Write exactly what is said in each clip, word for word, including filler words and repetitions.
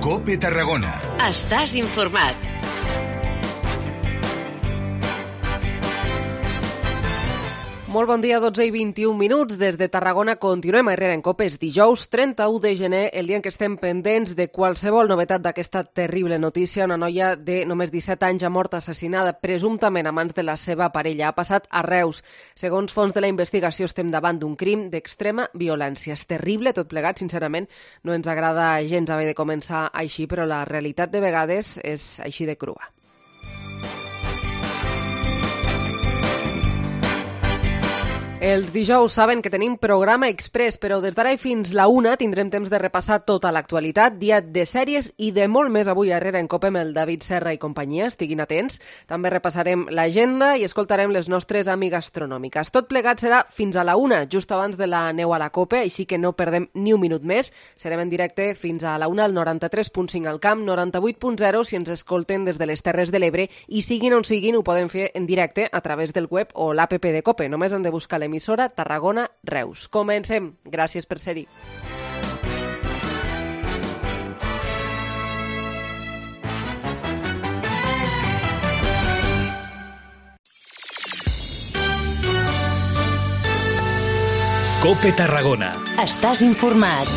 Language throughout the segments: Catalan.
COPE Tarragona. Estàs informat. Molt bon dia, dotze i vint-i-un minuts. Des de Tarragona continuem a Herrera en COPE. És dijous trenta-u de gener, el dia en què estem pendents de qualsevol novetat d'aquesta terrible notícia. Una noia de només disset anys ha mort assassinada presumptament a mans de la seva parella. Ha passat a Reus. Segons fons de la investigació, estem davant d'un crim d'extrema violència. És terrible tot plegat, sincerament. No ens agrada gens haver de començar així, però la realitat de vegades és així de crua. Els dijous saben que tenim programa express, però des d'ara i fins la una tindrem temps de repassar tota l'actualitat, dia de sèries i de molt més avui a Herrera en COPE amb el David Serra i companyia. Estiguin atents. També repassarem l'agenda i escoltarem les nostres amigues gastronòmiques. Tot plegat serà fins a la una, just abans de la neu a la COPE, així que no perdem ni un minut més. Serem en directe fins a la una al noranta-tres punt cinc al camp, noranta-vuit punt zero si ens escolten des de les Terres de l'Ebre i siguin on siguin ho poden fer en directe a través del web o l'app de COPE. Només han de buscar l'emissora Tarragona Reus. Comencem. Gràcies per ser-hi. COPE Tarragona. Estàs informat.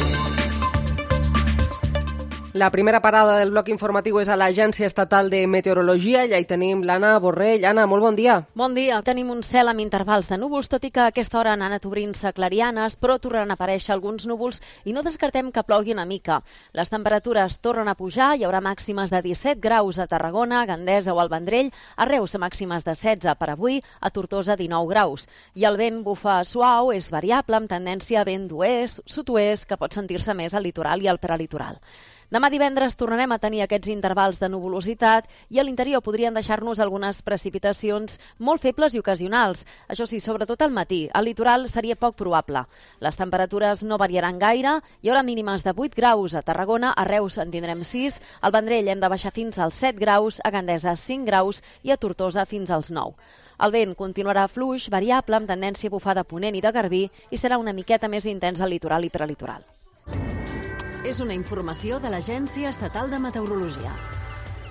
La primera parada del bloc informatiu és a l'Agència Estatal de Meteorologia. Allà hi tenim l'Anna Borrell. Anna, molt bon dia. Bon dia. Tenim un cel amb intervals de núvols, tot i que a aquesta hora han anat obrint-se clarianes, però tornaran a aparèixer alguns núvols i no descartem que plogui una mica. Les temperatures tornen a pujar, hi haurà màximes de disset graus a Tarragona, Gandesa o al Vendrell, a Reus màximes de setze per avui, a Tortosa dinou graus. I el vent bufa suau, és variable, amb tendència a vent d'oest, sud-oest, que pot sentir-se més al litoral i al prelitoral. Demà divendres tornarem a tenir aquests intervals de nuvolositat i a l'interior podrien deixar-nos algunes precipitacions molt febles i ocasionals. Això sí, sobretot al matí. Al litoral seria poc probable. Les temperatures no variaran gaire. Hi haurà mínimes de vuit graus a Tarragona, a Reus en tindrem sis, al Vendrell hem de baixar fins als set graus, a Gandesa cinc graus i a Tortosa fins als nou. El vent continuarà fluix, variable, amb tendència a bufar de ponent i de garbí i serà una miqueta més intens al litoral i prelitoral. És una informació de l'Agència Estatal de Meteorologia.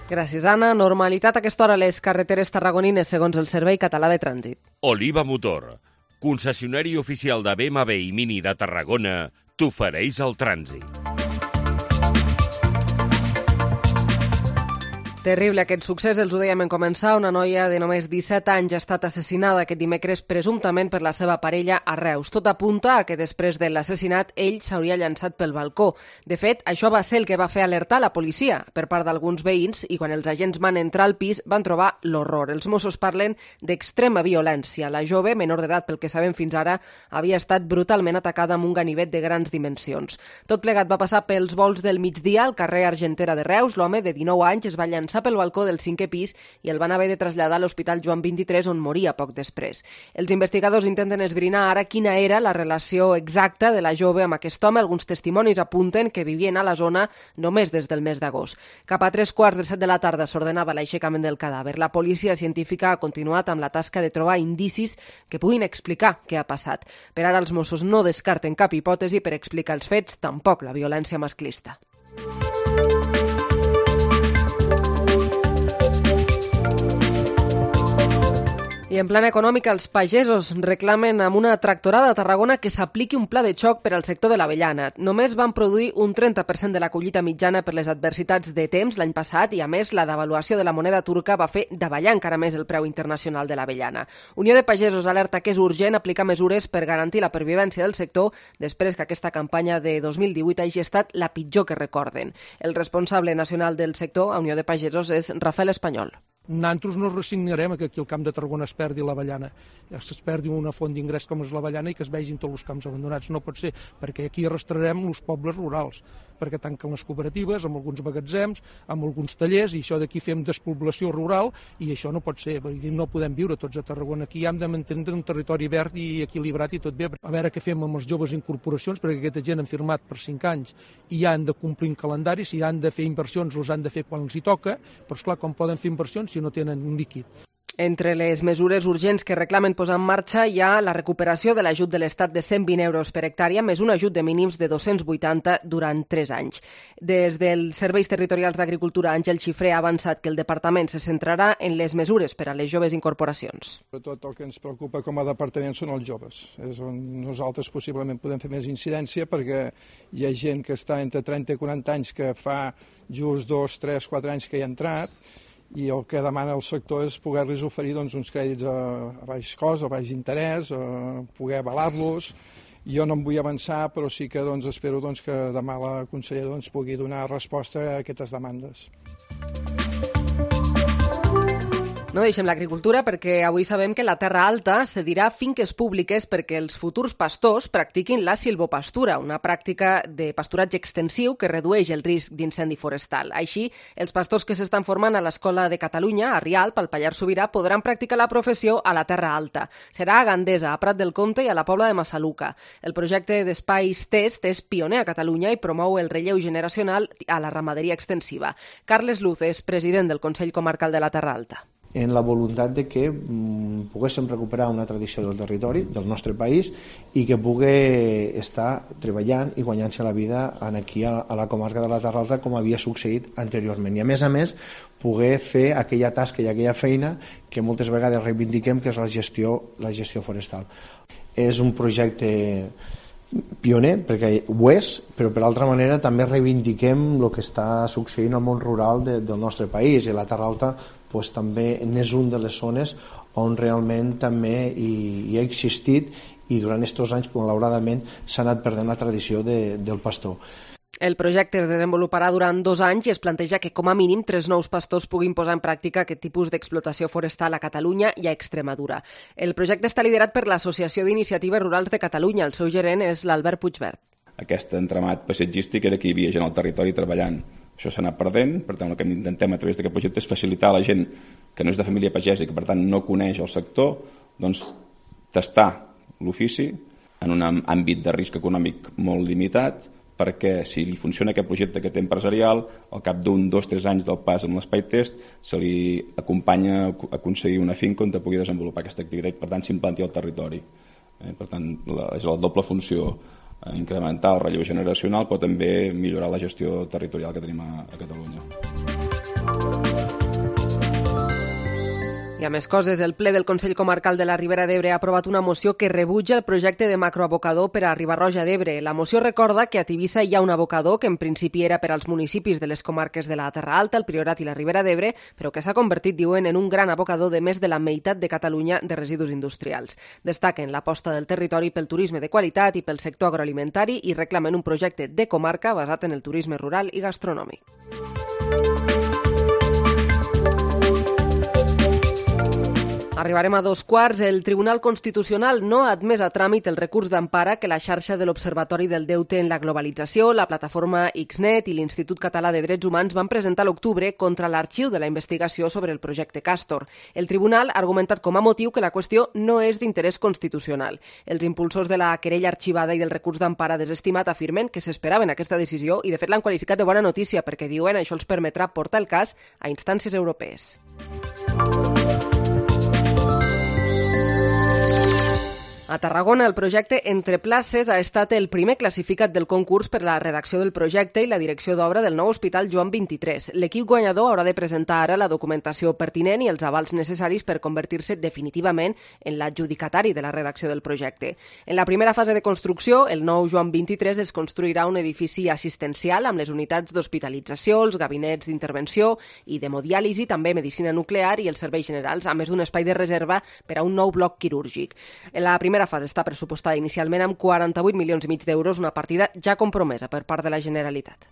Gràcies, Anna. Normalitat a aquesta hora a les carreteres tarragonines, segons el Servei Català de Trànsit. Oliva Motor, concessionari oficial de B M W i Mini de Tarragona, t'ofereix el trànsit. Terrible aquest succés, els ho dèiem en començar. Una noia de només disset anys ha estat assassinada aquest dimecres presumptament per la seva parella a Reus. Tot apunta a que després de l'assassinat ell s'hauria llançat pel balcó. De fet, això va ser el que va fer alertar la policia per part d'alguns veïns i quan els agents van entrar al pis van trobar l'horror. Els Mossos parlen d'extrema violència. La jove, menor d'edat pel que sabem fins ara, havia estat brutalment atacada amb un ganivet de grans dimensions. Tot plegat va passar pels volts del migdia al carrer Argentera de Reus. L'home de dinou anys es va llançar pel balcó del cinquè pis i el van haver de traslladar a l'Hospital Joan vint-i-tres, on moria poc després. Els investigadors intenten esbrinar ara quina era la relació exacta de la jove amb aquest home. Alguns testimonis apunten que vivien a la zona només des del mes d'agost. Cap a tres quarts de set de la tarda s'ordenava l'aixecament del cadàver. La policia científica ha continuat amb la tasca de trobar indicis que puguin explicar què ha passat. Per ara els Mossos no descarten cap hipòtesi per explicar els fets, tampoc la violència masclista. I en plana econòmica, els pagesos reclamen amb una tractorada a Tarragona que s'apliqui un pla de xoc per al sector de l'avellana. Només van produir un trenta per cent de la collita mitjana per les adversitats de temps l'any passat i, a més, la devaluació de la moneda turca va fer davallar encara més el preu internacional de l'avellana. Unió de Pagesos alerta que és urgent aplicar mesures per garantir la pervivència del sector després que aquesta campanya de dos mil divuit hagi estat la pitjor que recorden. El responsable nacional del sector, a Unió de Pagesos, és Rafael Espanyol. Nosaltres no resignarem que aquí al Camp de Tarragona es perdi l'avellana, es perdi una font d'ingrés com és l'avellana i que es vegin tots els camps abandonats. No pot ser, perquè aquí arrastrarem els pobles rurals, perquè tanquen les cooperatives, amb alguns magatzems, amb alguns tallers, i això d'aquí fem despoblació rural, i això no pot ser, no podem viure tots a Tarragona. Aquí hem de mantenir un territori verd i equilibrat i tot bé. A veure què fem amb els joves incorporacions, perquè aquesta gent han firmat per cinc anys i ja han de complir un calendari, si han de fer inversions, els han de fer quan els hi toca, però esclar, com poden fer inversions si no tenen un líquid? Entre les mesures urgents que reclamen posar en marxa hi ha la recuperació de l'ajut de l'Estat de cent vint euros per hectàrea més un ajut de mínims de dos-cents vuitanta durant tres anys. Des dels Serveis Territorials d'Agricultura, Àngel Xifré ha avançat que el departament se centrarà en les mesures per a les joves incorporacions. Sobretot el que ens preocupa com a departament són els joves. És on nosaltres possiblement podem fer més incidència perquè hi ha gent que està entre trenta i quaranta anys que fa just dos, tres, quatre anys que hi ha entrat i el que demana el sector és poder-los oferir doncs, uns crèdits a, a baix cost, a baix interès, a poder avalar-los. Jo no em vull avançar, però sí que doncs, espero doncs, que demà la consellera doncs, pugui donar resposta a aquestes demandes. No deixem l'agricultura perquè avui sabem que la Terra Alta cedirà finques públiques perquè els futurs pastors practiquin la silvopastura, una pràctica de pasturatge extensiu que redueix el risc d'incendi forestal. Així, els pastors que s'estan formant a l'Escola de Catalunya, a Rialp, al Pallars Sobirà, podran practicar la professió a la Terra Alta. Serà a Gandesa, a Prat del Comte i a la Pobla de Massaluca. El projecte d'espais test és pioner a Catalunya i promou el relleu generacional a la ramaderia extensiva. Carles Luz és president del Consell Comarcal de la Terra Alta. En la voluntat de que mm, poguéssim recuperar una tradició del territori, del nostre país, i que pugui estar treballant i guanyant-se la vida aquí a, a la comarca de la Terra Alta com havia succeït anteriorment. I a més a més, poder fer aquella tasca i aquella feina que moltes vegades reivindiquem, que és la gestió, la gestió forestal. És un projecte pioner, perquè ho és, però per altra manera també reivindiquem el que està succeint al món rural de, del nostre país, i la Terra Alta pues, també n'és un de les zones on realment també hi, hi ha existit i durant aquests anys, malauradament, s'ha anat perdent la tradició de, del pastor. El projecte es desenvoluparà durant dos anys i es planteja que com a mínim tres nous pastors puguin posar en pràctica aquest tipus d'explotació forestal a Catalunya i a Extremadura. El projecte està liderat per l'Associació d'Iniciatives Rurals de Catalunya. El seu gerent és l'Albert Puigvert. Aquest entramat paisatgístic era que hi havia gent al territori treballant. Això s'ha anat perdent, per tant el que intentem a través d'aquest projecte és facilitar a la gent que no és de família pagesa i que per tant no coneix el sector, doncs tastar l'ofici en un àmbit de risc econòmic molt limitat, perquè si li funciona aquest projecte que té empresarial, al cap d'un, dos, tres anys del pas amb l'espai test, se li acompanya a aconseguir una finca on pugui desenvolupar aquesta activitat i per tant s'implanti al territori. Eh, per tant, la, és la doble funció, incrementar el relleu generacional, però també millorar la gestió territorial que tenim a, a Catalunya. I a més coses, el ple del Consell Comarcal de la Ribera d'Ebre ha aprovat una moció que rebutja el projecte de macroabocador per a Riba-roja d'Ebre. La moció recorda que a Tivissa hi ha un abocador que en principi era per als municipis de les comarques de la Terra Alta, el Priorat i la Ribera d'Ebre, però que s'ha convertit, diuen, en un gran abocador de més de la meitat de Catalunya de residus industrials. Destaquen l'aposta del territori pel turisme de qualitat i pel sector agroalimentari i reclamen un projecte de comarca basat en el turisme rural i gastronòmic. Arribarem a dos quarts. El Tribunal Constitucional no ha admès a tràmit el recurs d'empara que la xarxa de l'Observatori del Deute en la Globalització, la plataforma Xnet i l'Institut Català de Drets Humans van presentar a l'octubre contra l'arxiu de la investigació sobre el projecte Castor. El tribunal ha argumentat com a motiu que la qüestió no és d'interès constitucional. Els impulsors de la querella arxivada i del recurs d'empara desestimat afirmen que s'esperaven aquesta decisió i de fet l'han qualificat de bona notícia perquè diuen això els permetrà portar el cas a instàncies europees. A Tarragona, el projecte Entre Places ha estat el primer classificat del concurs per la redacció del projecte i la direcció d'obra del nou Hospital Joan vint-i-tres. L'equip guanyador haurà de presentar ara la documentació pertinent i els avals necessaris per convertir-se definitivament en l'adjudicatari de la redacció del projecte. En la primera fase de construcció, el nou Joan vint-i-tres es construirà un edifici assistencial amb les unitats d'hospitalització, els gabinets d'intervenció i d'hemodiàlisi, també medicina nuclear i els serveis generals, a més d'un espai de reserva per a un nou bloc quirúrgic. En la primera La fase està pressupostada inicialment amb quaranta-vuit milions i mig d'euros, una partida ja compromesa per part de la Generalitat.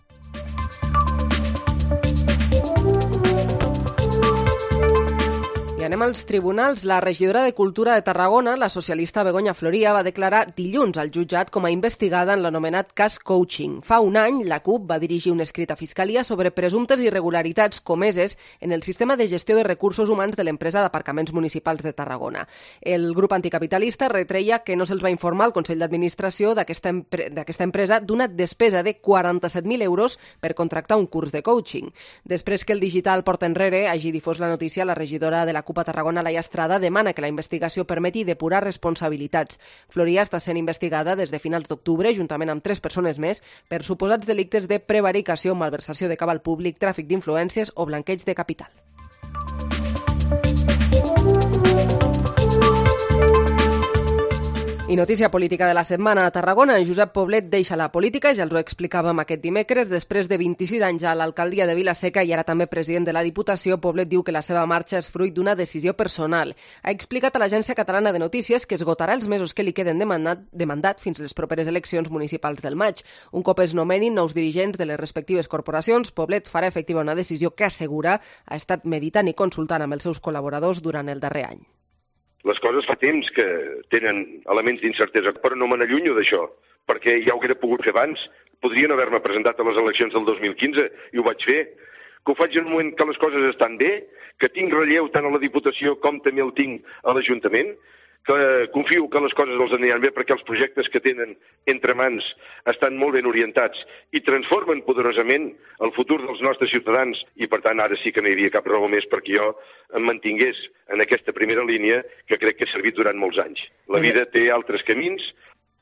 I anem als tribunals. La regidora de Cultura de Tarragona, la socialista Begoña Floria, va declarar dilluns al jutjat com a investigada en l'anomenat cas Coaching. Fa un any, la CUP va dirigir un escrit a Fiscalia sobre presumptes irregularitats comeses en el sistema de gestió de recursos humans de l'empresa d'aparcaments municipals de Tarragona. El grup anticapitalista retreia que no se'ls va informar al Consell d'Administració d'aquesta empre- d'aquesta empresa d'una despesa de quaranta-set mil euros per contractar un curs de coaching. Després que el digital Porta Enrere hagi difós la notícia, la regidora de la CUP CUP a Tarragona, Laia Estrada, demana que la investigació permeti depurar responsabilitats. Floria està sent investigada des de finals d'octubre, juntament amb tres persones més, per suposats delictes de prevaricació, malversació de cabal públic, tràfic d'influències o blanqueig de capital. I notícia política de la setmana a Tarragona. Josep Poblet deixa la política, ja els ho explicàvem aquest dimecres. Després de vint-i-sis anys a l'alcaldia de Vila-seca i ara també president de la Diputació, Poblet diu que la seva marxa és fruit d'una decisió personal. Ha explicat a l'Agència Catalana de Notícies que esgotarà els mesos que li queden de mandat, de mandat fins les properes eleccions municipals del maig. Un cop es nomenin nous dirigents de les respectives corporacions, Poblet farà efectiva una decisió que assegura ha estat meditant i consultant amb els seus col·laboradors durant el darrer any. Les coses fa temps que tenen elements d'incertesa, però no me n'allunyo d'això, perquè ja ho hauria pogut fer abans. Podria no haver-me presentat a les eleccions del dos mil quinze i ho vaig fer. Que ho faig en un moment que les coses estan bé, que tinc relleu tant a la Diputació com també el tinc a l'Ajuntament, que confio que les coses els aniran bé perquè els projectes que tenen entre mans estan molt ben orientats i transformen poderosament el futur dels nostres ciutadans i, per tant, ara sí que no hi havia cap raó més perquè jo em mantingués en aquesta primera línia que crec que ha servit durant molts anys. La vida té altres camins.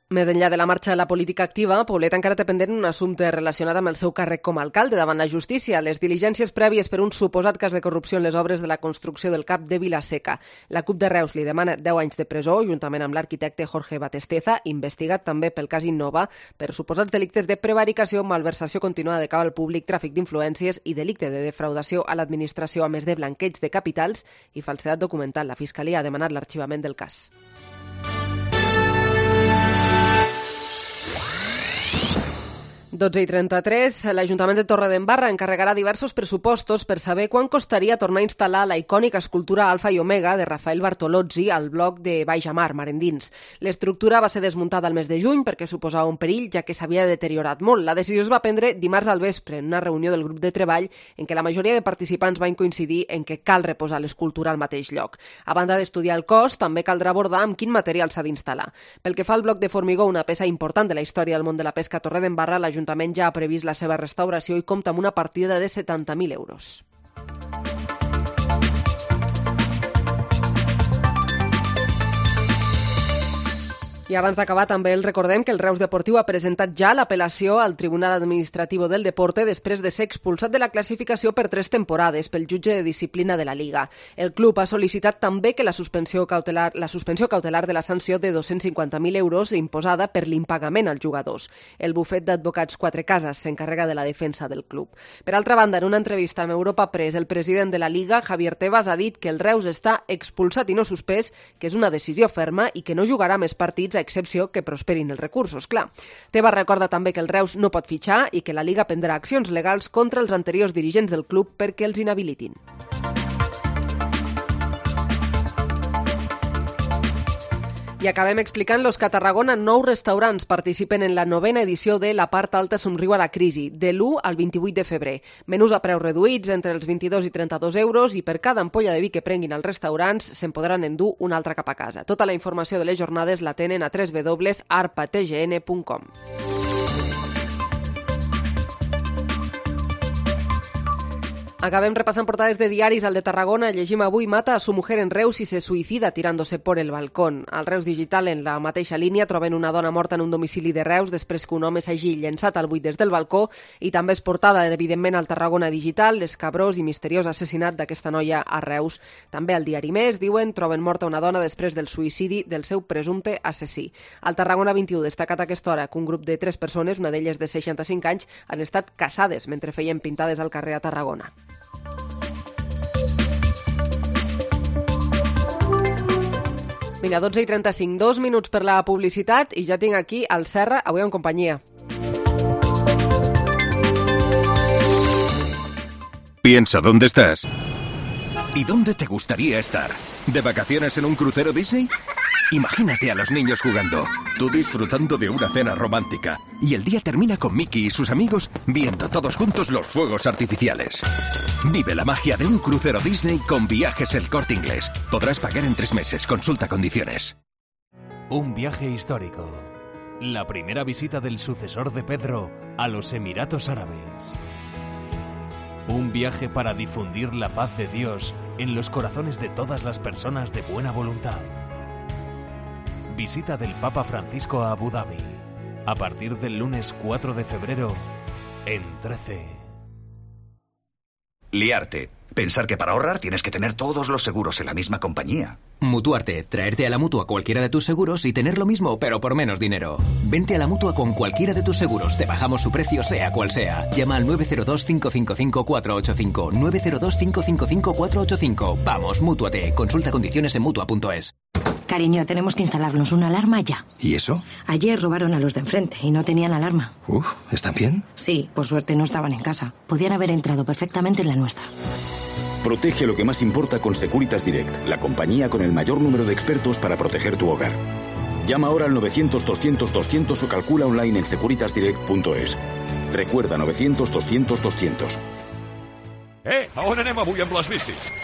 Més enllà de la marxa de la política activa, Poblet encara té pendent un assumpte relacionat amb el seu càrrec com a alcalde davant la justícia, les diligències prèvies per un suposat cas de corrupció en les obres de la construcció del CAP de Vila-seca. La CUP de Reus li demana deu anys de presó, juntament amb l'arquitecte Jorge Batesteza, investigat també pel cas Innova, per suposats delictes de prevaricació, malversació continuada de cabal públic, tràfic d'influències i delicte de defraudació a l'administració, a més de blanqueig de capitals i falsedat documental. La Fiscalia ha demanat l'arxivament del cas. dotze i trenta-tres, l'Ajuntament de Torredembarra encarregarà diversos pressupostos per saber quan costaria tornar a instal·lar la icònica escultura Alfa i Omega de Rafael Bartolozzi al bloc de Baixamar, mar endins. L'estructura va ser desmuntada al mes de juny perquè suposava un perill, ja que s'havia deteriorat molt. La decisió es va prendre dimarts al vespre en una reunió del grup de treball en què la majoria de participants van coincidir en que cal reposar l'escultura al mateix lloc. A banda d'estudiar el cost, també caldrà abordar amb quin material s'ha d'instal·lar. Pel que fa al bloc de formigó, una peça important de la història del món de la pesca a Torredembarra, l'Ajuntament ja ha previst la seva restauració i compta amb una partida de setanta mil euros. I abans d'acabar també els recordem que el Reus Deportiu ha presentat ja l'apel·lació al Tribunal Administrativo del Deporte després de ser expulsat de la classificació per tres temporades pel jutge de disciplina de la Liga. El club ha sol·licitat també que la suspensió cautelar, la suspensió cautelar de la sanció de dos-cents cinquanta mil euros imposada per l'impagament als jugadors. El bufet d'advocats Quatre Cases s'encarrega de la defensa del club. Per altra banda, en una entrevista amb Europa Press, el president de la Liga, Javier Tebas, ha dit que el Reus està expulsat i no suspès, que és una decisió ferma i que no jugarà més partits a excepció que prosperin els recursos, clar. Tebas recorda també que el Reus no pot fitxar i que la Liga prendrà accions legals contra els anteriors dirigents del club perquè els inhabilitin. I acabem explicant-los que a Tarragona nou restaurants participen en la novena edició de La part alta somriu a la crisi, de l'u al vint-i-vuit de febrer. Menús a preus reduïts entre els vint-i-dos i trenta-dos euros i per cada ampolla de vi que prenguin als restaurants se'n podran endur una altra cap a casa. Tota la informació de les jornades la tenen a w w w punt arpa t g n punt com. Acabem repassant portades de diaris. Al de Tarragona llegim avui: mata a su mujer en Reus y se suicida tirándose por el balcón. Al Reus Digital, en la mateixa línia, troben una dona morta en un domicili de Reus després que un home s'hagi llençat al buit des del balcó, i també és portada, evidentment, al Tarragona Digital, l'escabrós i misteriós assassinat d'aquesta noia a Reus. També al diari Més, diuen, troben morta una dona després del suïcidi del seu presumpte assassí. Al Tarragona vint-i-u, destacat a aquesta hora que un grup de tres persones, una d'elles de seixanta-cinc anys, han estat caçades mentre feien pintades al carrer a Tarragona. Vinga, dotze i trenta-cinc, dos minuts per la publicitat i ja tinc aquí al Serra, avui en companyia. Piensa dónde estás y dónde te gustaría estar. ¿De vacaciones en un crucero Disney? Imagínate a los niños jugando, tú disfrutando de una cena romántica y el día termina con Mickey y sus amigos viendo todos juntos los fuegos artificiales. Vive la magia de un crucero Disney con Viajes El Corte Inglés. Podrás pagar en tres meses. Consulta condiciones. Un viaje histórico. La primera visita del sucesor de Pedro a los Emiratos Árabes. Un viaje para difundir la paz de Dios en los corazones de todas las personas de buena voluntad. Visita del Papa Francisco a Abu Dhabi. A partir del lunes cuatro de febrero en trece. Liarte. Pensar que para ahorrar tienes que tener todos los seguros en la misma compañía. Mutuarte. Traerte a la Mutua cualquiera de tus seguros y tener lo mismo, pero por menos dinero. Vente a la Mutua con cualquiera de tus seguros. Te bajamos su precio, sea cual sea. Llama al nueve cero dos, cinco cinco cinco, cuatro ocho cinco. nueve cero dos, cinco cinco cinco, cuatro ocho cinco. Vamos, Mútuate. Consulta condiciones en Mutua punto es. Cariño, tenemos que instalarnos una alarma ya. ¿Y eso? Ayer robaron a los de enfrente y no tenían alarma. Uf, ¿están bien? Sí, por suerte no estaban en casa. Podían haber entrado perfectamente en la nuestra. Protege lo que más importa con Securitas Direct, la compañía con el mayor número de expertos para proteger tu hogar. Llama ahora al novecientos, doscientos, doscientos o calcula online en securitas direct punto es. Recuerda, novecientos, doscientos, doscientos. Eh, a on anem avui amb les bicis?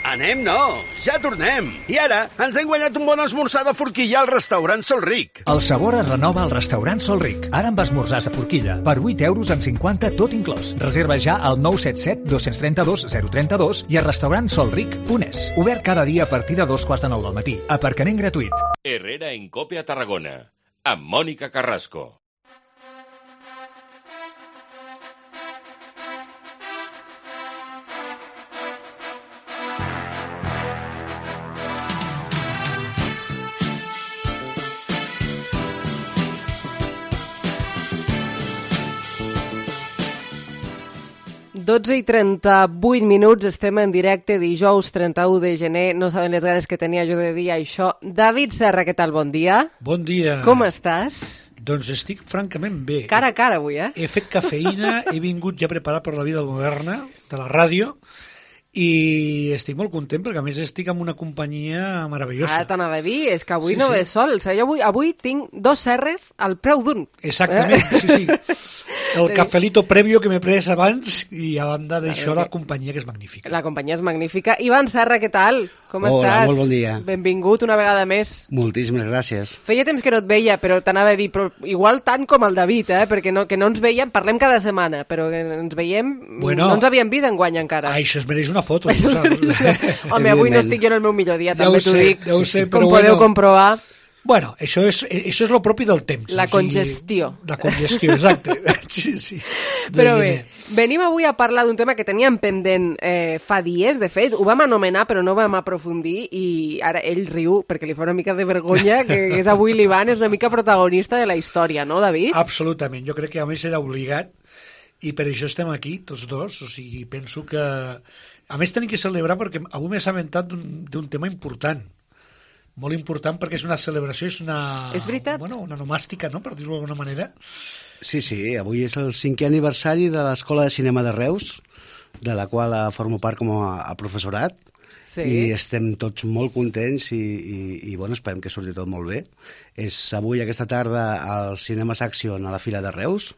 Anem no, ja tornem. I ara ens hem guanyat un bon esmorzar de forquilla al restaurant Sol Ric. El sabor es renova al restaurant Sol Ric. Ara amb esmorzars de forquilla. Per vuit euros amb cinquanta tot inclòs. Reserva ja al nou set set, dos tres dos, zero tres dos i a restaurant sol ric punt es. Obert cada dia a partir de dos quarts de nou del matí. Aparcament gratuït. Herrera en Cope a Tarragona. Amb Mònica Carrasco. dotze i trenta-vuit minuts, estem en directe dijous trenta-u de gener. No saben les ganes que tenia jo de dir això. David Serra, què tal? Bon dia. Bon dia. Com estàs? Doncs estic francament bé. Cara a cara avui, eh? He fet cafeïna, he vingut ja preparat per la vida moderna de la ràdio i estic molt content perquè a més estic amb una companyia meravellosa. Ara t'anava a dir, és que avui Sí, no sí. ve sol. O sigui, avui, avui tinc dos serres al preu d'un. Exactament, Eh? sí, sí. El cafelito previo que m'he pres abans i a banda d'això la companyia que és magnífica. La companyia és magnífica. Ivan Serra, què tal? Com Hola, estàs? molt bon dia. Benvingut una vegada més. Moltíssimes gràcies. Feia temps que no et veia, però t'anava a dir, però igual tant com el David, eh? Perquè no, que no ens veiem, parlem cada setmana, però que ens veiem, Bueno, no ens havíem vist enguany encara. Això es mereix una foto. Tu saps? Home, avui no estic jo en el meu millor dia, també Deu t'ho ser, dic, deu ser, com però podeu bueno. comprovar. Bueno, això és, això és lo propi del temps. La o sigui, congestió. La congestió, exacte. Sí, sí. Però De bé, gener. venim avui a parlar d'un tema que teníem pendent eh, fa dies, de fet, ho vam anomenar però no vam aprofundir i ara ell riu perquè li fa una mica de vergonya que és avui l'Ivan, és una mica protagonista de la història, no, David? Absolutament, jo crec que a més era obligat i per això estem aquí, tots dos, o sigui, penso que... A més tenim que celebrar perquè avui m'he assabentat d'un d'un tema important, molt important perquè és una celebració, és una... És veritat. Bueno, una nomàstica, no?, per dir-ho d'alguna manera. Sí, sí, avui és el cinquè aniversari de l'Escola de Cinema de Reus, de la qual eh, formo part com a, a professorat, Sí. i estem tots molt contents i, i, i bueno, esperem que surti tot molt bé. És avui, aquesta tarda, al Cinema Saxion a la Fira de Reus,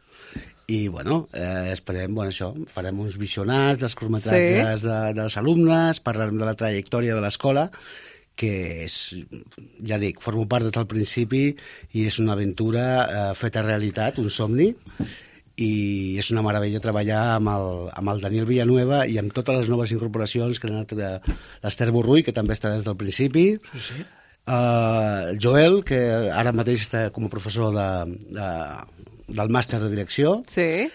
i bueno, eh, esperem, bueno, això, farem uns visionats dels curtmetratges Sí. de, dels alumnes, parlarem de la trajectòria de l'escola, que és, ja dic, formo part des del principi i és una aventura eh, feta realitat, un somni, i és una meravella treballar amb el, amb el Daniel Villanueva i amb totes les noves incorporacions que han anat eh, l'Ester Borrull, que també està des del principi, Sí, sí. Uh, el Joel, que ara mateix està com a professor de, de, del màster de direcció, Sí.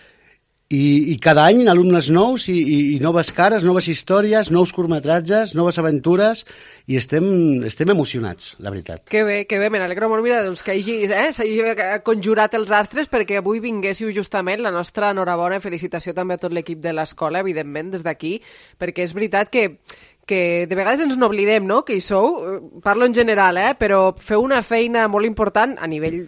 i, i cada any alumnes nous i, i, i noves cares, noves històries, nous curtmetratges, noves aventures, i estem, estem emocionats, la veritat. Que bé, que bé, me n'alegro molt, mira, doncs que hagi, eh, s'hagi conjurat els astres perquè avui vinguéssiu justament. La nostra enhorabona i felicitació també a tot l'equip de l'escola, evidentment, des d'aquí, perquè és veritat que que de vegades ens n'oblidem, no?, que hi sou, parlo en general, eh?, però feu una feina molt important a nivell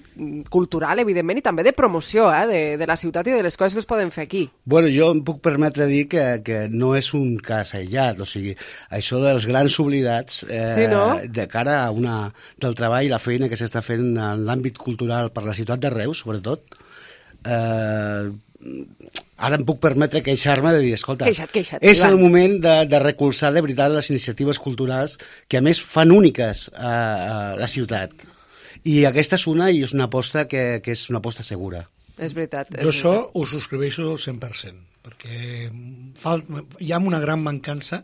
cultural, evidentment, i també de promoció, eh?, de, de la ciutat i de les coses que es poden fer aquí. Bueno, jo em puc permetre dir que, que no és un cas aïllat, o sigui, això dels grans oblidats eh, Sí, no? de cara a una, del treball i la feina que s'està fent en l'àmbit cultural per la ciutat de Reus, sobretot, eh, ara em puc permetre queixar-me de dir, escolta, Queixa't, queixa't, és Ivan. el moment de, de recolzar de veritat les iniciatives culturals que a més fan úniques a, a la ciutat. I aquesta és una, i és una aposta que, que és una aposta segura. És veritat. És Jo això veritat. ho subscriveixo al cent per cent. perquè fa, hi ha una gran mancança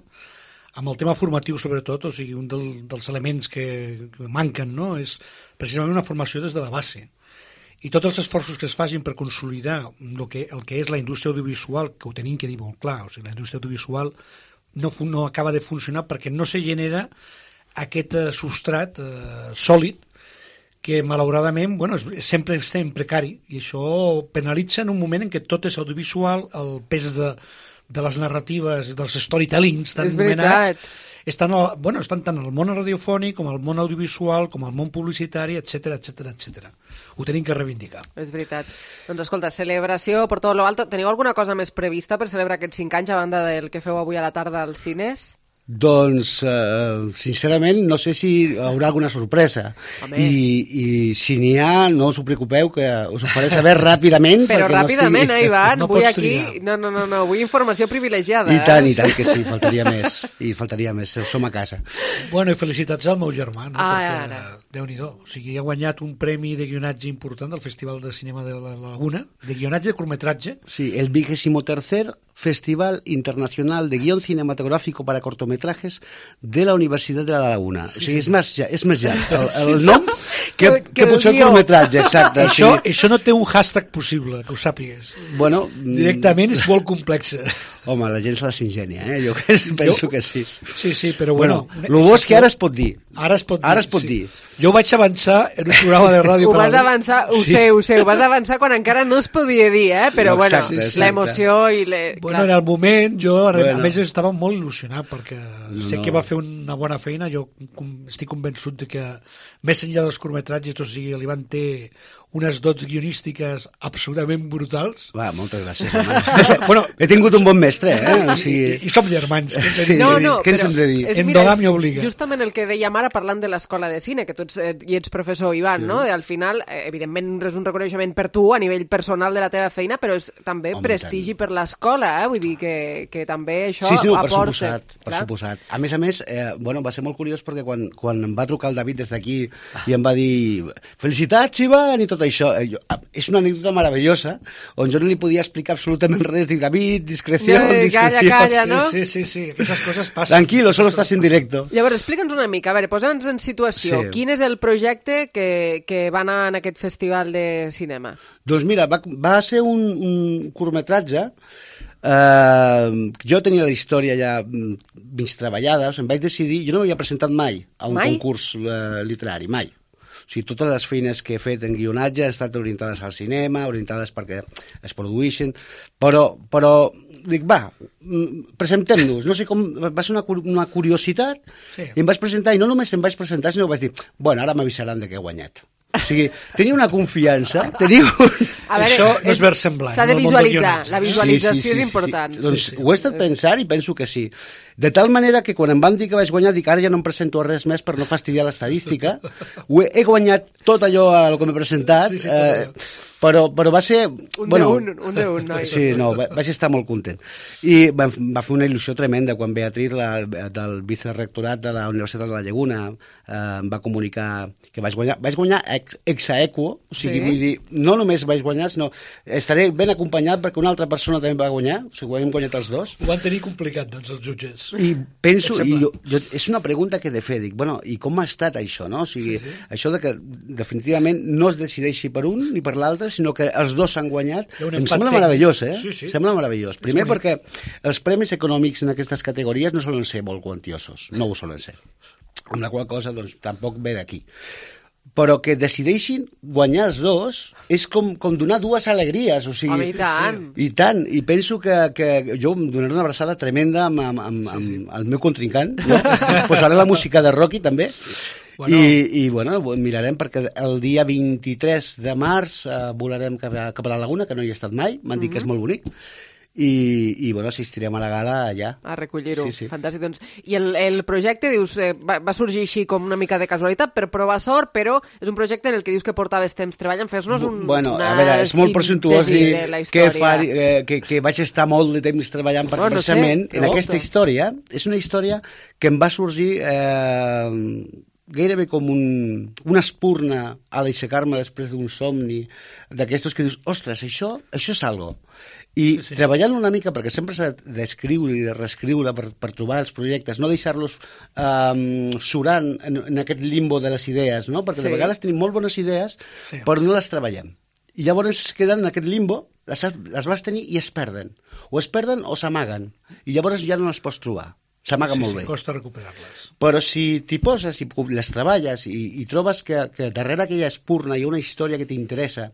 amb el tema formatiu, sobretot, o sigui, un del, dels elements que, que manquen, no?, és precisament una formació des de la base. I tots els esforços que es facin per consolidar el que, el que és la indústria audiovisual, que ho tenim que dir molt clar, o sigui, la indústria audiovisual no, no acaba de funcionar perquè no se genera aquest eh, substrat eh, sòlid que malauradament bueno, sempre està en precari i això penalitza en un moment en què tot és audiovisual, el pes de, de les narratives, dels storytellings tan anomenats, estan, bueno, estan tant al món radiofònic com al món audiovisual, com al món publicitari, etcètera, etcètera, etcètera. Ho tenim que reivindicar. És veritat. Doncs escolta, celebració per tot lo alto. Teniu alguna cosa més prevista per celebrar aquests cinc anys a banda del que feu avui a la tarda als cines? Doncs, eh, sincerament, no sé si hi haurà alguna sorpresa. I, i si n'hi ha, no us ho preocupeu, que us ho faré saber ràpidament. Però ràpidament, no sigui... eh, Ivan? no vull aquí... No, no, no, no, vull informació privilegiada. I tant, eh? i tant que sí, faltaria més. I faltaria més, som a casa. Bueno, i felicitats al meu germà, no? Ah, perquè, ara. Déu-n'hi-do. O sigui, ha guanyat un premi de guionatge important del Festival de Cinema de la Laguna, de guionatge de curtmetratge. Sí, el vigésimo tercer Festival Internacional de Guión Cinematográfico para Cortometrajes de la Universitat de la Laguna. O sigui, és més, és més llarg el, el nom que, que, que potser el curtmetratge, exacte. Això, sí. Això no té un hashtag possible, que ho sàpigues. Bueno, directament és molt complex. Home, la gent se les ingenia, eh? Jo penso jo, que sí. Sí, sí, però bueno... bueno el bo és que ara es pot dir. Ara es pot dir, ara es pot sí. dir. Jo ho vaig avançar en un programa de ràdio. Ho vas avançar, ho sí. sé, ho sé, ho vas avançar quan encara no es podia dir, eh? Però no, exacte, bueno, exacte. L'emoció i... Le... Bueno, en el moment, jo bueno. a més estava molt il·lusionat perquè no, sé no. que va fer una bona feina, jo estic convençut de que més enllà dels curtmetratges, o sigui, li van ter unes dots guionístiques absolutament brutals. Va, moltes gràcies, home. Bueno, he tingut un bon mestre, eh? O sigui... I, i som germans. Sí, no, no, què ens hem de dir? Endogami obliga. Justament el que dèiem ara parlant de l'escola de cine, que tu ets, eh, hi ets professor, Ivan, sí. no? I al final, eh, evidentment, és un reconeixement per tu a nivell personal de la teva feina, però és també Home, prestigi tant. Per l'escola, eh? Vull dir que, que també això sí, sí, no, aporta. Per suposat, per suposat. A més a més, eh, bueno, va ser molt curiós perquè quan, quan em va trucar el David des d'aquí i em va dir felicitats, Ivan, i tot això. Eh, jo, és una anècdota meravellosa on jo no li podia explicar absolutament res. Dic, David, discreció, no, discreció. Calla, calla, no? Sí, sí, sí, aquestes coses passen. Tranquilo, solo estàs en directo. Llavors, explica'ns una mica, a veure, posa'ns en situació. Sí. Quin és el projecte que, que va anar en aquest festival de cinema? Doncs mira, va, va ser un, un curtmetratge. Uh, jo tenia la història ja mig treballada, o sigui, em vaig decidir, jo no m'havia presentat mai a un mai? concurs uh, literari, mai. O sigui, totes les feines que he fet en guionatge han estat orientades al cinema, orientades perquè es produïxen, però, però dic, va, presentem-nos. No sé com, va ser una, una curiositat, sí. I em vaig presentar, i no només em vaig presentar, sinó que vaig dir, bueno, ara m'avisaran de que he guanyat. O sigui, tenia una confiança, tenia... Un... A veure, això no és versemblant. S'ha de visualitzar, la visualització sí, sí, sí, és important. Sí. Doncs sí, sí. Ho he estat pensant i penso que sí. De tal manera que quan em van dir que vaig guanyar, dic, ara ja no em presento a res més per no fastidiar l'estadística. He, he guanyat tot allò a lo que m'he presentat, sí, sí, eh, però, però va ser... Un bueno, de un, un de un, noi. Sí, no, vaig estar molt content. I va, va fer una il·lusió tremenda quan Beatriz, la, del vicerectorat de la Universitat de la Llaguna, eh, em va comunicar que vaig guanyar. Vaig guanyar ex, ex aequo, o sigui, sí. Vull dir, no només vaig guanyar, sinó estaré ben acompanyat perquè una altra persona també va guanyar, o sigui, ho hem guanyat els dos. Ho van tenir complicat, doncs, els jutges. I penso, i jo, jo, és una pregunta que he de fer, dic, bueno, i com ha estat això, no? O sigui, sí, sí. Això de que definitivament no es decideixi per un ni per l'altre, sinó que els dos s'han guanyat, em sembla meravellós, eh? Sí, sí. Sembla meravellós. Primer perquè els premis econòmics en aquestes categories no solen ser molt quantiosos, no ho solen ser. Amb la qual cosa, doncs, tampoc ve d'aquí. Però que decideixin guanyar els dos és com, com donar dues alegries, o sigui... Home, i tant. I tant, i penso que, que jo em donaré una abraçada tremenda amb, amb, amb, sí, sí. amb el meu contrincant, no? Posaré la música de Rocky, també, bueno. I, i bueno, mirarem, perquè el dia vint-i-tres de març eh, volarem cap a, cap a la Laguna, que no hi he estat mai, m'han dit mm-hmm. que és molt bonic, i, i bueno, assistirem a la gala allà. A recollir-ho, sí, sí. Fantàstic. Doncs, I el, el projecte, dius, eh, va, va sorgir així com una mica de casualitat per provar sort, però és un projecte en el que dius que portaves temps treballant. Fes-nos un, bueno, una a veure, és molt presumptuós dir que, fa, eh, que, que vaig estar molt de temps treballant, perquè bueno, precisament no sé, en no, aquesta història, és una història que em va sorgir... Eh, gairebé com un, una espurna a l'aixecar-me després d'un somni d'aquestos que dius, ostres, això, això és algo. I Sí, sí. treballant una mica, perquè sempre s'ha d'escriure i de reescriure per, per trobar els projectes, no deixar-los um, surant en, en aquest limbo de les idees, no? Perquè Sí. de vegades tenim molt bones idees, Sí. però no les treballem. I llavors es queden en aquest limbo, les, has- les vas tenir i es perden. O es perden o s'amaguen. I llavors ja no les pots trobar. S'amaguen Sí, molt sí, bé. costa recuperar-les. Però si t'hi poses i les treballes i, i trobes que, que darrere aquella espurna hi ha una història que t'interessa,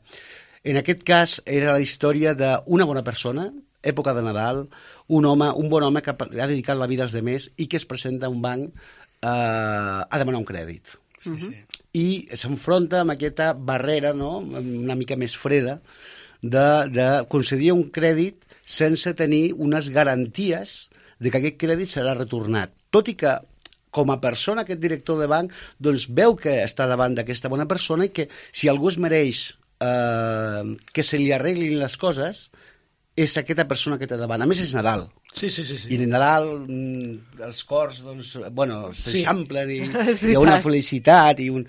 en aquest cas era la història d'una bona persona, època de Nadal, un home, un bon home que ha dedicat la vida als demés i que es presenta a un banc eh, a demanar un crèdit. Sí, sí. I s'enfronta amb aquesta barrera, no?, una mica més freda, de, de concedir un crèdit sense tenir unes garanties de que aquest crèdit serà retornat. Tot i que, com a persona, aquest director de banc doncs veu que està davant d'aquesta bona persona i que si algú es mereix eh, que se li arreglin les coses, és aquesta persona que té davant. A més, és Nadal. Sí, sí, sí. sí. I en Nadal mm, els cors, doncs, bueno, s'eixamplen i És hi ha una veritat. felicitat i un...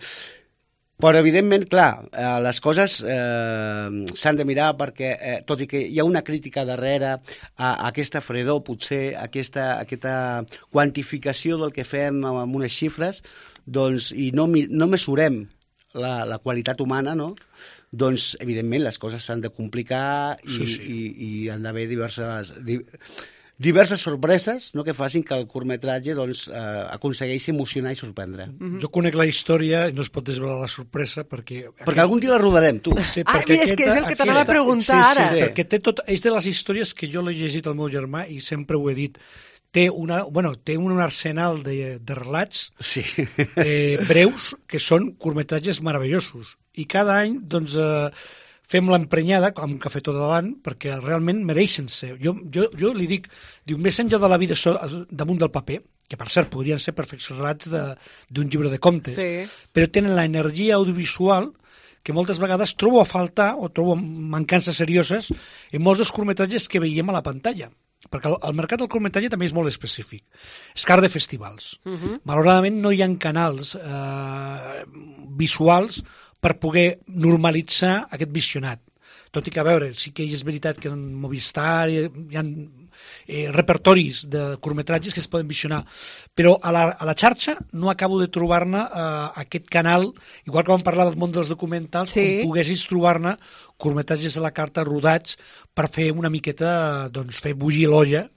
Però, evidentment, clar, eh, les coses eh, s'han de mirar perquè, eh, tot i que hi ha una crítica darrere a, a aquesta fredor, potser, a aquesta, a aquesta quantificació del que fem amb unes xifres, doncs, i no, mi- no mesurem la, la qualitat humana, no?, doncs, evidentment, les coses s'han de complicar i, Sí, sí. i, i han d'haver diverses... Di, diverses sorpreses, no?, que facin que el curtmetratge doncs, eh, aconsegueixi emocionar i sorprendre. Mm-hmm. Jo conec la història i no es pot desvelar la sorpresa perquè... Perquè algun dia la rodarem, tu. Sí, Ah, perquè mira, és que és el que t'anava a aquesta- preguntar sí, sí, ara. perquè té tot, és de les històries que jo l'he llegit al meu germà i sempre ho he dit. Té, una, bueno, té un arsenal de, de relats sí. eh, breus que són curtmetratges meravellosos. I cada any, doncs, eh, fem l'emprenyada amb un cafetó davant perquè realment mereixen ser. Jo, jo, jo li dic, diu, més enllà de la vida so, damunt del paper, que per cert podrien ser perfects relats de- d'un llibre de contes, Sí. però tenen l'energia audiovisual que moltes vegades trobo a faltar o trobo mancances serioses en molts dels curtmetratges que veiem a la pantalla. Perquè el, el mercat del curtmetratge també és molt específic. És car de festivals. Uh -huh. Malauradament no hi ha canals eh, visuals per poder normalitzar aquest visionat. Tot i que, a veure, sí que és veritat que en Movistar hi, hi ha eh, repertoris de curtmetratges que es poden visionar, però a la, a la xarxa no acabo de trobar-ne eh, aquest canal, igual que vam parlar del món dels documentals, Sí. on poguessis trobar-ne curtmetratges a la carta rodats per fer una miqueta, doncs, fer bullir l'olla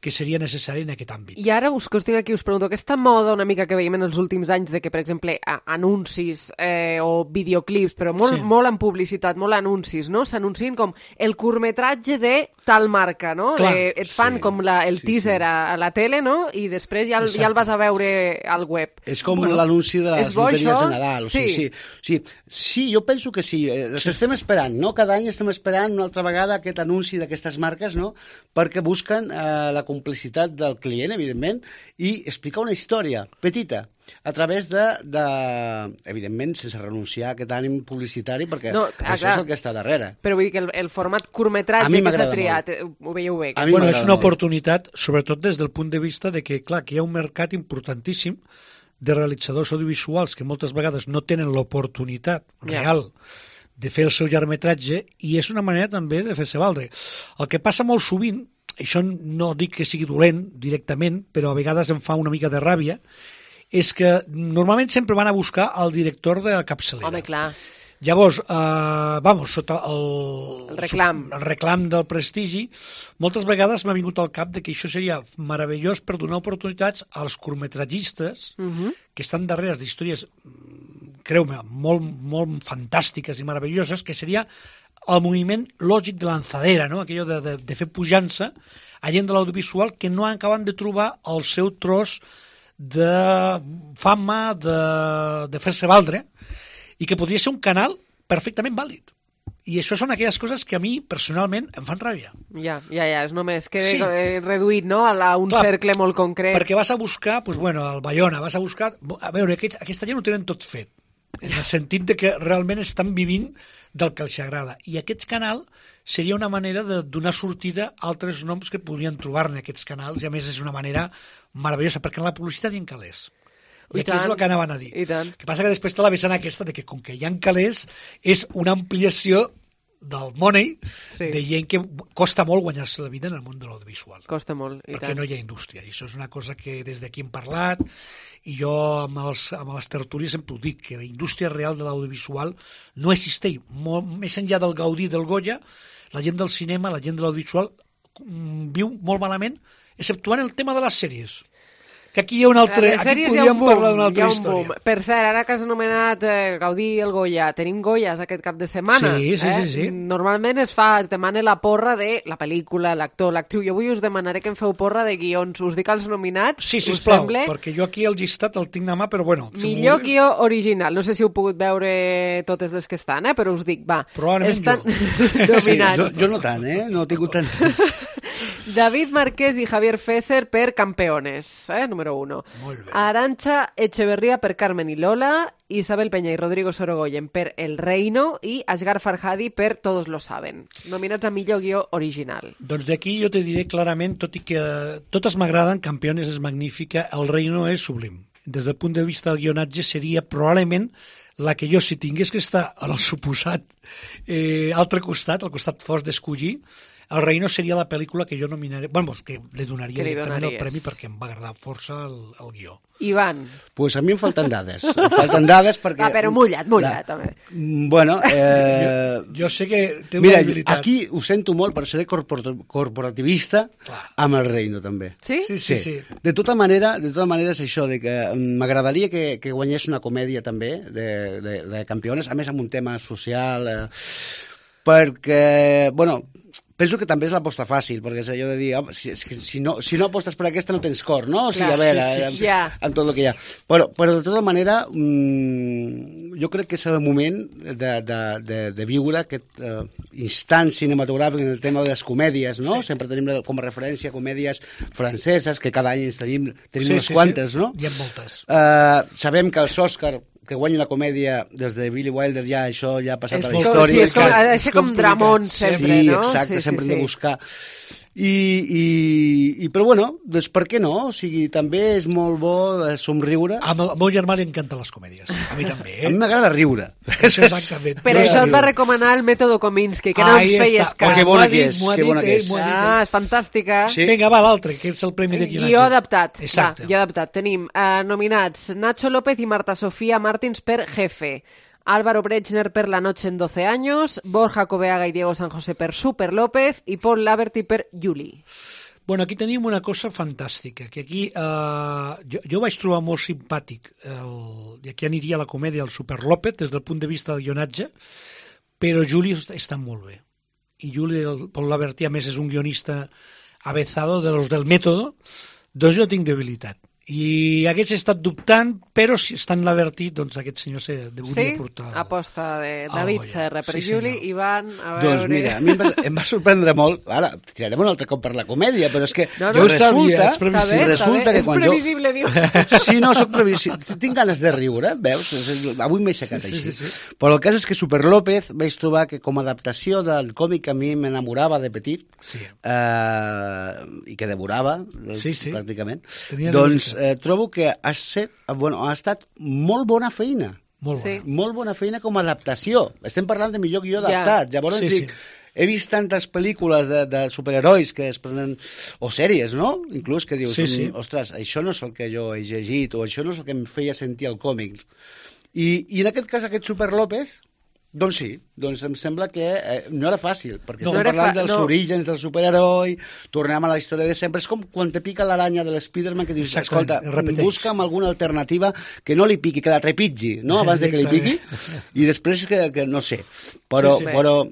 que seria necessari en aquest àmbit. I ara us que us tinc aquí, us pregunto, aquesta moda una mica que veiem en els últims anys de que, per exemple, a, anuncis eh, o videoclips, però molt, Sí. molt en publicitat, molt anuncis, no? S'anuncien com el curtmetratge de tal marca, no? Clar, de, et fan sí, com la, el sí, teaser sí. A, a la tele, no? I després ja, el- ja el Exacte. vas a veure al web. És com Bueno, l'anunci de les és bo, loteries això? de Nadal. O sigui, Sí. sí. Sí, sí, jo penso que sí. Eh, Les estem esperant, no? Cada any estem esperant una altra vegada aquest anunci d'aquestes marques, no?, perquè busquen eh, la complicitat del client, evidentment, i explicar una història petita a través de, de evidentment, sense renunciar a aquest ànim publicitari, perquè No, no, ah, això clar. és el que està darrere. Però vull dir que el, el format A curtmetratge mi que s'ha m'agrada triat, eh, ho veieu bé? A mi Bueno, m'agrada és una molt. oportunitat, sobretot des del punt de vista de que, clar, que hi ha un mercat importantíssim de realitzadors audiovisuals que moltes vegades no tenen l'oportunitat Ja. real de fer el seu llargmetratge i és una manera també de fer-se valdre. El que passa molt sovint, això no dic que sigui dolent directament, però a vegades em fa una mica de ràbia, és que normalment sempre van a buscar el director de capçalera. Home, clar. Llavors, eh, vamos, sota el, El reclam. el reclam del prestigi, moltes vegades m'ha vingut al cap de que això seria meravellós per donar oportunitats als curtmetratgistes Uh -huh. que estan darrere d'històries, mm, creu-me, molt, molt fantàstiques i meravelloses, que seria el moviment lògic de lanzadera, no? Aquello de, de, de fer pujança a gent de l'audiovisual que no acaben de trobar el seu tros de fama, de, de fer-se valdre, i que podria ser un canal perfectament vàlid. I això són aquelles coses que a mi, personalment, em fan ràbia. Ja, ja, ja, és només que Sí. eh, reduït, no?, a, la, a un Clar, cercle molt concret. Perquè vas a buscar, doncs, bueno, al Bayona, vas a buscar... A veure, aquest, aquesta gent ho tenen tot fet, en el sentit de que realment estan vivint del que els agrada. I aquest canal seria una manera de donar sortida a altres noms que podrien trobar-ne aquests canals, i a més és una manera meravellosa, perquè en la publicitat hi ha calés. I, I aquí tant, és el que anaven a dir. i tant. El que passa que després té la vessant aquesta de que com que hi ha calés és una ampliació del money, Sí. de gent que costa molt guanyar-se la vida en el món de l'audiovisual. Costa molt, i perquè tant. no hi ha indústria. I això és una cosa que des d'aquí hem parlat, i jo amb, els, amb les tertúlies sempre ho dic, que la indústria real de l'audiovisual no existeix. Molt, més enllà del Gaudí i del Goya, la gent del cinema, la gent de l'audiovisual mm, viu molt malament, exceptuant el tema de les sèries. Que aquí hi ha un altre... A les Aquí sèries hi ha podríem un boom, parlar d'una hi altra ha un història. boom. Per cert, ara que has anomenat eh, Gaudí i el Goya, tenim Goyas aquest cap de setmana. Sí, sí, eh? sí, sí. Normalment es fa, es demana la porra de la pel·lícula, l'actor, l'actriu. Jo avui us demanaré que em feu porra de guions. Us dic els nominats, Sí, us sisplau, sembla? perquè jo aquí el llistat el tinc a mà, però bueno... si Millor m'ho- guió original. No sé si heu pogut veure totes les que estan, eh? Però us dic, va. Probablement estan Sí, dominats. jo, jo no tant, eh? No he tingut tant temps. David Marquès i Javier Fesser per Campeones, eh? número uno. Molt bé. Arantxa Echeverría per Carmen i Lola, Isabel Peña i Rodrigo Sorogoyen per El Reino i Asghar Farhadi per Todos lo saben. Nominats a millor guió original. Doncs d'aquí jo te diré clarament, tot i que totes m'agraden, Campeones és magnífica, El Reino és sublim. Des del punt de vista del guionatge seria probablement la que jo, si tingués que estar en el suposat eh, altre costat, al costat fos d'escollir, El Reino seria la pel·lícula que jo nominaré, bueno, que li donaria Que li directament el donaries. premi perquè em va agradar força el, el guió. Ivan. Pues a mi em falten dades. Em falten dades perquè... Ah, però mullat, mullat, La- també. Mm, Bueno, eh... Jo, jo sé que té Mira, una habilitat. aquí ho sento molt per ser corpor- corporativista amb el Reino, també. Sí? Sí, sí, sí. De tota manera, de tota manera és això, de que mm, m'agradaria que, que guanyés una comèdia també de, de, de Campeones, a més amb un tema social, eh, perquè, bueno, penso que també és l'aposta fàcil, perquè és allò de dir, oh, si, és que si, no, si no apostes per aquesta no tens cor, no? O sigui, Clar, a veure, sí, sí, amb, sí. Ja. amb tot el que hi ha. Però, però de tota manera, mmm, jo crec que és el moment de, de, de, de viure aquest uh, instant cinematogràfic en el tema de les comèdies, no? Sí. Sempre tenim com a referència comèdies franceses, que cada any ens tenim, tenim Sí, unes sí, quantes, sí. no? Hi ha moltes. Uh, sabem que els Òscar que guanya una comèdia des de Billy Wilder, ja això ja ha passat És a la com- història. sí, és com- ha de ser com complicat. Dramón sempre, sí, no? exacte, Sí, sí, sempre sí. hem de buscar. I, i, i, però bueno, doncs per què no? O sigui, també és molt bo eh, somriure. A el meu germà li encanten les comèdies. A mi també, A eh? mi m'agrada riure. Això exactament. Per Jo això et riure. va recomanar el mètode Kominsky, que no Ahí ens feies està. cas. Que M'ho bona ha que dit, és, m'ho ha que dit bona que ell, és. m'ho ha dit Ah, ell. és fantàstica. Sí. Vinga, va, l'altre, que és el premi de guionatge. Guió adaptat. Exacte. Va, guió adaptat. Tenim eh, nominats Nacho López i Marta Sofía Martins per Jefe, Álvaro Brechner per La noche en doce años, Borja Coveaga i Diego San José per Super López i Paul Laverty per Julie. Bueno, aquí tenim una cosa fantàstica, que aquí eh, jo, jo vaig trobar molt simpàtic, el, i aquí aniria la comèdia, el Super López, des del punt de vista del guionatge, però Juli està molt bé. I Juli, el Paul Laverty, a més, és un guionista avezado de los del método, doncs jo tinc debilitat. I hagués estat dubtant, però si està en Laverty, doncs aquest senyor se deuria Sí? portar... Aposta de al David Goya. Serra per Sí, Julie, senyor. Ivan, a veure... Doncs mira, a mi em va, em va sorprendre molt. Ara, tirarem un altre cop per la comèdia, però és que No, no, jo ho sabia, resulta, ets previsible. resulta que Ets quan jo... previsible, diu. Sí, no, soc previsible. Tinc ganes de riure, veus? Avui m'he aixecat Sí, sí, així. sí, sí. Però el cas és que Super López vaig trobar que com a adaptació del còmic que a mi m'enamorava de petit, Sí. eh, i que devorava, Sí, sí. pràcticament, Tenia doncs debilitat. eh, trobo que ha, set, bueno, ha estat molt bona feina. Molt Sí. bona. Molt bona feina com a adaptació. Estem parlant de millor guió Ja. adaptat. Llavors Sí, dic, sí. he vist tantes pel·lícules de, de superherois que es prenen, o sèries, no? Inclús que dius, Sí, sí. "Mm, ostres, això no és el que jo he llegit, o això no és el que em feia sentir el còmic. I, i en aquest cas, aquest Super López, doncs sí, doncs em sembla que eh, no era fàcil, perquè No. estem No era parlant fa- dels no. orígens del superheroi, tornem a la història de sempre, és com quan te pica l'aranya de l'Spiderman que dius, Exactament, escolta, es repeteix. busca'm alguna alternativa que no li piqui, que la trepitgi, no?, abans de que li piqui, i després que, que no sé, però, Sí, sí. però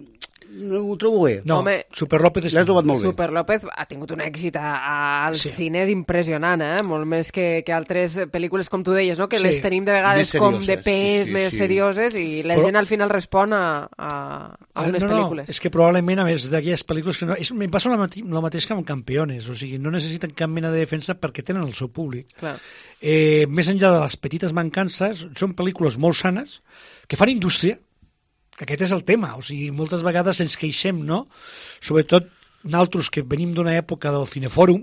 no, ho trobo bé. No, Home, Super López està L'he trobat molt bé. Super López ha tingut un èxit a, a, als Sí. cines impressionant, eh? Molt més que, que altres pel·lícules, com tu deies, no? Que Sí. les tenim de vegades Més com de serioses, pes, sí, sí, més sí. serioses, i la Però- gent al final respon a, a, a unes Ah, no, pel·lícules. No, és que probablement, a més d'aquelles pel·lícules... Que no, és, em passa el mateix, el mateix que amb Campeones, o sigui, no necessiten cap mena de defensa perquè tenen el seu públic. Clar. Eh, més enllà de les petites mancances, són pel·lícules molt sanes que fan indústria, que aquest és el tema, o sigui, moltes vegades ens queixem, no? Sobretot nosaltres que venim d'una època del Cinefòrum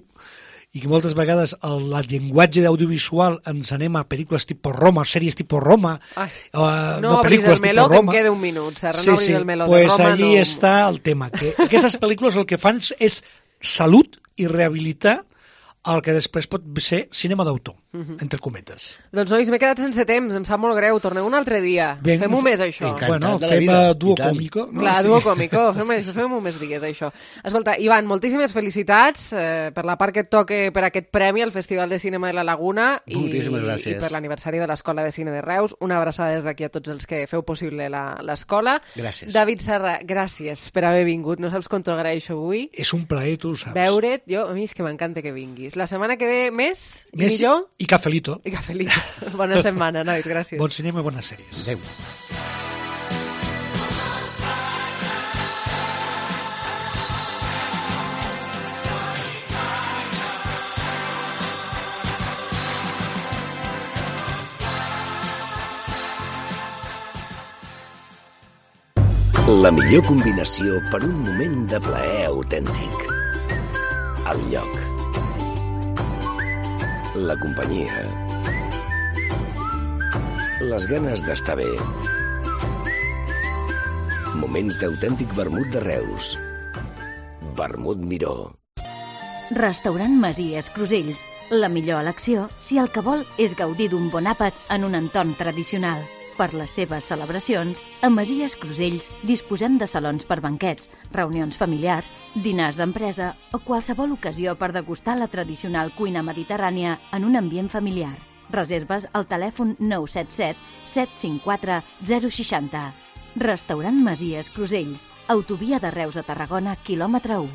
i que moltes vegades el, el llenguatge d'audiovisual ens anem a pel·lícules tipus Roma, sèries tipus Roma, Ai, uh, no no obris el meló, que em Roma. queda un minut, Serra, Sí, no obris sí, el meló pues de Roma. allí no... està el tema, que aquestes pel·lícules el que fan és salut i rehabilitar el que després pot ser cinema d'autor, Mhm. entre cometes. Doncs, nois, m'he quedat sense temps, em sap molt greu. Torneu un altre dia. Ben, Fem-ho més, això. Bueno, fem uh, duo còmico. No? Clar, Sí. duo còmico. Fem-ho fem més dies, això. Escolta, Ivan, moltíssimes felicitats eh, per la part que et toca per aquest premi al Festival de Cinema de la Laguna i, Moltíssimes gràcies. i per l'aniversari de l'Escola de Cine de Reus. Una abraçada des d'aquí a tots els que feu possible la- l'escola. Gràcies. David Serra, gràcies per haver vingut. No saps com t'ho agraeixo avui. És un plaer, tu ho saps. Veure't, jo, a mi és que m'encanta que vinguis. La setmana que ve més i Més millor. I cafelito. I cafelito. Bona setmana, nois, gràcies. Bon cinema i bones sèries. Adéu. La millor combinació per un moment de plaer autèntic. El lloc. La companyia. Les ganes d'estar bé. Moments d'autèntic vermut de Reus. Vermut Miró. Restaurant Masies Crusells. La millor elecció si el que vol és gaudir d'un bon àpat en un entorn tradicional. Per les seves celebracions, a Masies Crusells disposem de salons per banquets, reunions familiars, dinars d'empresa o qualsevol ocasió per degustar la tradicional cuina mediterrània en un ambient familiar. Reserves al telèfon nou set set set cinc quatre zero sis zero. Restaurant Masies Crusells, autovia de Reus a Tarragona, quilòmetre u.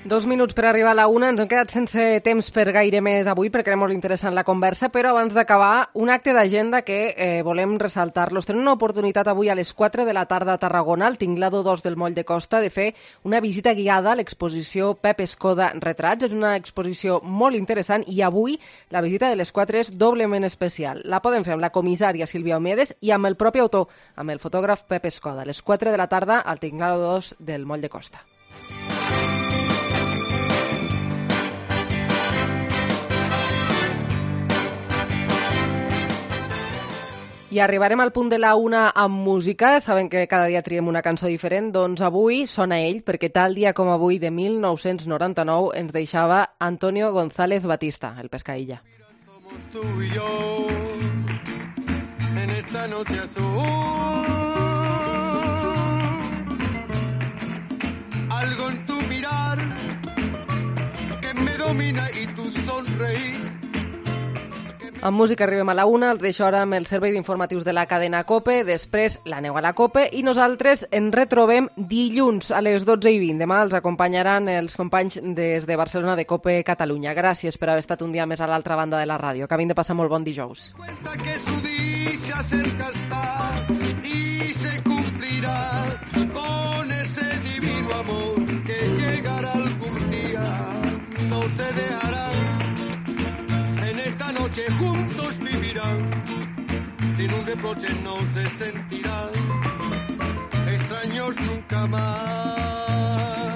Dos minuts per arribar a la una. Ens hem quedat sense temps per gaire més avui perquè era molt interessant la conversa, però abans d'acabar, un acte d'agenda que eh, volem ressaltar-los. Tenim una oportunitat avui a les quatre de la tarda a Tarragona, al Tinglado dos del Moll de Costa, de fer una visita guiada a l'exposició Pep Escoda Retrats. És una exposició molt interessant i avui la visita de les quatre és doblement especial. La poden fer amb la comissària Sílvia Omedes i amb el propi autor, amb el fotògraf Pep Escoda. A les quatre de la tarda al Tinglado dos del Moll de Costa. I arribarem al punt de la una amb música. Saben que cada dia triem una cançó diferent. Doncs avui sona ell, perquè tal dia com avui de mil nou-cents noranta-nou ens deixava Antonio González Batista, el Pescailla. Somos tú y yo en esta noche azul. Algo en tu mirar que me domina y tu sonreír. Amb música arribem a la una, els deixo ara amb el servei d'informatius de la cadena COPE, després l'aneu a la COPE i nosaltres ens retrobem dilluns a les dotze i vint. Demà els acompanyaran els companys des de Barcelona de COPE Catalunya. Gràcies per haver estat un dia més a l'altra banda de la ràdio. Acabin de passar molt bon dijous. Que su día se acerca está y se cumplirá con ese divino amor que llegará algún día, no se dejará. Esta noche juntos vivirán, sin un reproche no se sentirán, extraños nunca más.